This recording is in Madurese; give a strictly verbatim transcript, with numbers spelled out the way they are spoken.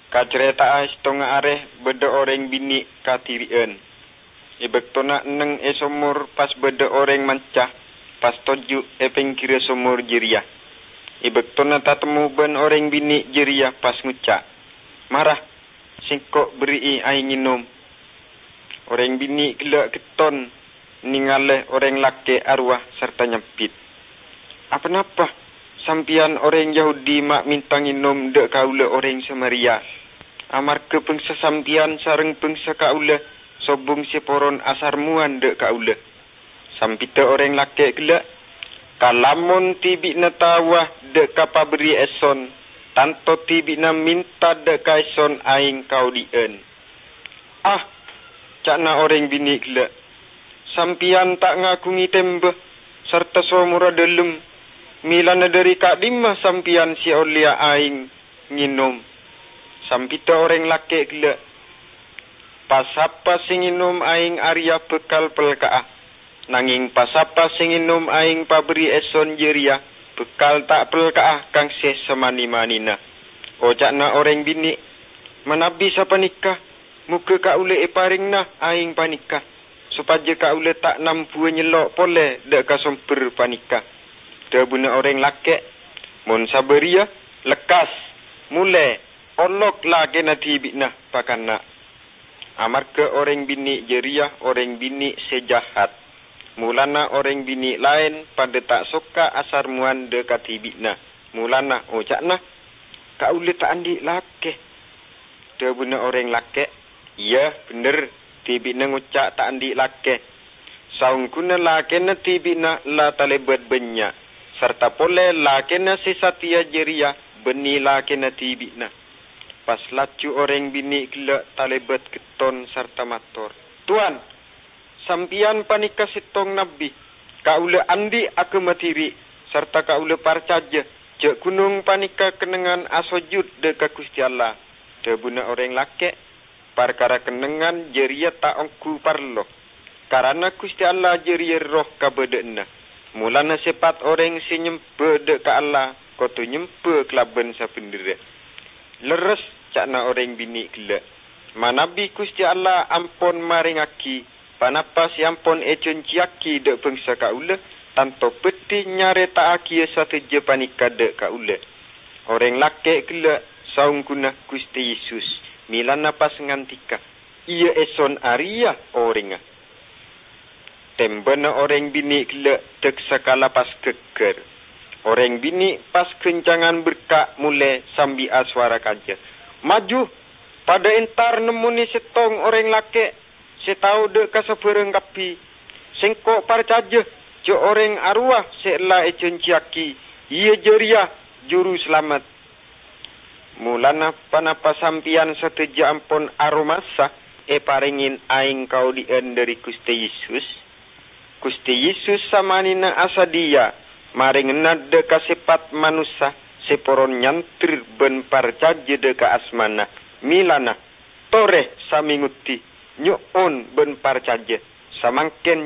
Kacarèta'a sèttongnga arè bâdâ orèng binè' kadhiri'ân. È bâktona enneng è somor pas bâdâ orèng manca, pas toju' è pèngghirrâ somor jârèya. È bâktona tatemmo bân orèng binè' jârèya pas ngoca', "Mara, sèngko' berri'i aèng ngènom." Orèng binè' ghellâ' ghetton nèngalè orèng lakè' arowa sarta nyambit, "Aponapa sampèyan orèng Yahudi ma' mènta ngènom dâ' kaulâ orèng Samaria? Amarghâ bhângsa sampèyan sareng bhângsa kaulâ sobung sè poron asarmowan dâ' kaulâ." Sambiddhâ orèng lakè' ghellâ', "Kalamon dhibi'na taowa dâ' ka paberri' èson, tanto dhibi'na mènta dâ' ka èson aèng kaodi'ân." "Ah," ca'na orèng binè' ghellâ', "sampèyan ta' ngaghungè tèmbhâ sarta somorra dhâlem, mèlana dhâri ka'dimma sampèyan sè ollèya aèng ngènom?" Sambiddhâ orèng lakè' ghellâ', "Pa-sapa sè ngènom aèng arèya bhâkal pelka'a, nangèng pa-sapa sè ngènom aèng paberri' èson jârèya bhâkal ta' pelka'a kangse samanè-manèna." Oca'na orèng binè', "Manabi sapanèka, moghâ kaulâ èparèngana aèng panèka, sopajâ kaulâ ta' nambuwâ nyello' polè dâ' ka sombher panèka." Dhâbuna orèng lakè', "Mon sabâriyâ, lekkas, molè, olok lakèna dhibi'na, pakanna'." Amarghâ orèng binè' jârèya orèng binè' sè jahat, molana orèng binè' laèn padâ ta' sokka asarmowan dâ' ka dhibi'na, molana oca'na, "Kaulâ ta' andi' lakè." Dhâbuna orèng lakè', "Iyâ, bhender, dhibi'na ngoca' ta' andi' lakè. Saongghuna lakèna dhibi'na la talèbât bânnya', sarta polè lakèna sè satèya jârèya bânnè lakèna dhibi'na." Pas laju orèng binè' ghellâ' talèbât ghetton sarta mator, "Towan, sampèyan panèka sèttong nabbhi. Kaulâ andi' aghâma dhibi', sarta kaulâ parcajâ jâ' ghunong panèka kennengngan asojud dâ' ka Ghustè Allah." Dhâbuna orèng lakè', "Parkara kennengngan jârèya ta' ongghu parlo, karana Ghustè Allah jârèya Erroh kabâdâ'ânna. Molana sèpat orèng sè nyembhâ dâ' ka Allah kodhu nyembhâ kalabân sabhendherra." "Lerres," ca'na orèng binè' ghellâ', "manabi Ghustè Allah ampon marèngaghi ponapa sè ampon èjhânjhiyaghi dâ' bhângsa kaulâ, tanto bhâdhi nyarèta'aghiyâ sadhâjâ panèka dâ' kaulâ." Orèng lakè' ghellâ' saongghuna Ghustè Yesus, mèlana pas ngandika, "Iyâ, èson arèya orèngnga." Tèmbhâna orèng binè' ghellâ' dâksakala pas ghâggâr. Orèng binè' pas ghâncangan berka' molè sambi asowara kajâ, "Maju, padâ entar nemmonè sèttong orèng lakè' sè tao dâ' ka sabârâng kabbhi. Sèngko' parcajâ jâ' orèng arowa sè ella èjhânjhiyaghi, iyâ jârèya Jurusalamet." Molana ponapa sampèyan sadhâjâ ampon aromasa èparèngè aèng kaodi'ân dâri Ghustè Yesus? Ghustè Yesus samanèna asadhiyâ marèngana dâ' ka sèpat manossa sè poron nyandher bân parcajâ dâ' ka asmana, mèlana, "Torè, samè ngoddhi, nyo'on bân parcajâ, samangkèn